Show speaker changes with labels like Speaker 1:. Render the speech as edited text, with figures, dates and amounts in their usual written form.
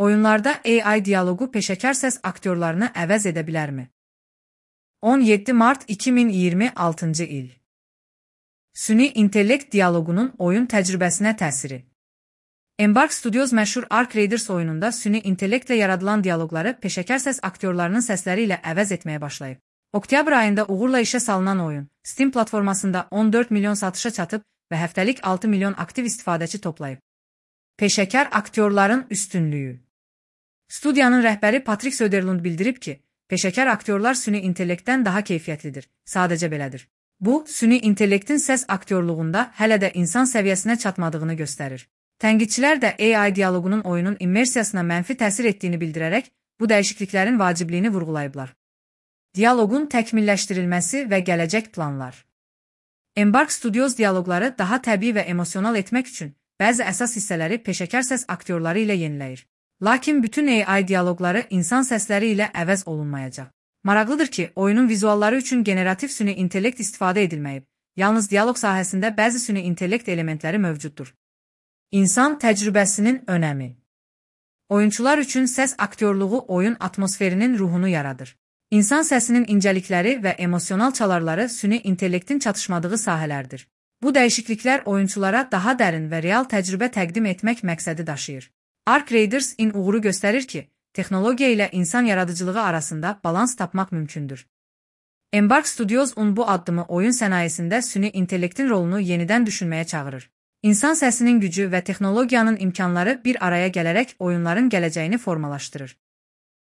Speaker 1: Oyunlarda AI diyaloqu peşəkar səs aktyorlarını əvəz edə bilərmi? 17 mart 2026 il. Süni intellekt diyaloqunun oyun təcrübəsinə təsiri. Embark Studios məşhur Ark Raiders oyununda süni intellektlə yaradılan diyaloqları peşəkar səs aktyorlarının səsləri ilə əvəz etməyə başlayıb. Oktyabr ayında uğurla işə salınan oyun, Steam platformasında 14 milyon satışa çatıb və həftəlik 6 milyon aktiv istifadəçi toplayıb. Peşəkar aktyorların üstünlüyü. Studiyanın rəhbəri Patrick Söderlund bildirib ki, peşəkar aktyorlar süni intellektdən daha keyfiyyətlidir, sadəcə belədir. Bu, süni intellektin səs aktyorluğunda hələ də insan səviyyəsinə çatmadığını göstərir. Tənqidçilər də AI diyaloqunun oyunun immersiyasına mənfi təsir etdiyini bildirərək, bu dəyişikliklərin vacibliyini vurğulayıblar. Diyaloqun təkmilləşdirilməsi və gələcək planlar. Embark Studios diyaloqları daha təbii və emosional etmək üçün bəzi əsas hissələri peşəkar səs aktyorları ilə yeniləyir. Lakin bütün AI diyaloqları insan səsləri ilə əvəz olunmayacaq. Maraqlıdır ki, oyunun vizualları üçün generativ süni intellekt istifadə edilməyib. Yalnız diyaloq sahəsində bəzi süni intellekt elementləri mövcuddur. İnsan təcrübəsinin önəmi. Oyunçular üçün səs aktyorluğu oyun atmosferinin ruhunu yaradır. İnsan səsinin incəlikləri və emosional çalarları süni intellektin çatışmadığı sahələrdir. Bu dəyişikliklər oyunçulara daha dərin və real təcrübə təqdim etmək məqsədi daşıyır. Ark Raiders-in uğuru göstərir ki, texnologiya ilə insan yaradıcılığı arasında balans tapmaq mümkündür. Embark Studios-un bu addımı oyun sənayesində süni intellektin rolunu yenidən düşünməyə çağırır. İnsan səsinin gücü və texnologiyanın imkanları bir araya gələrək oyunların gələcəyini formalaşdırır.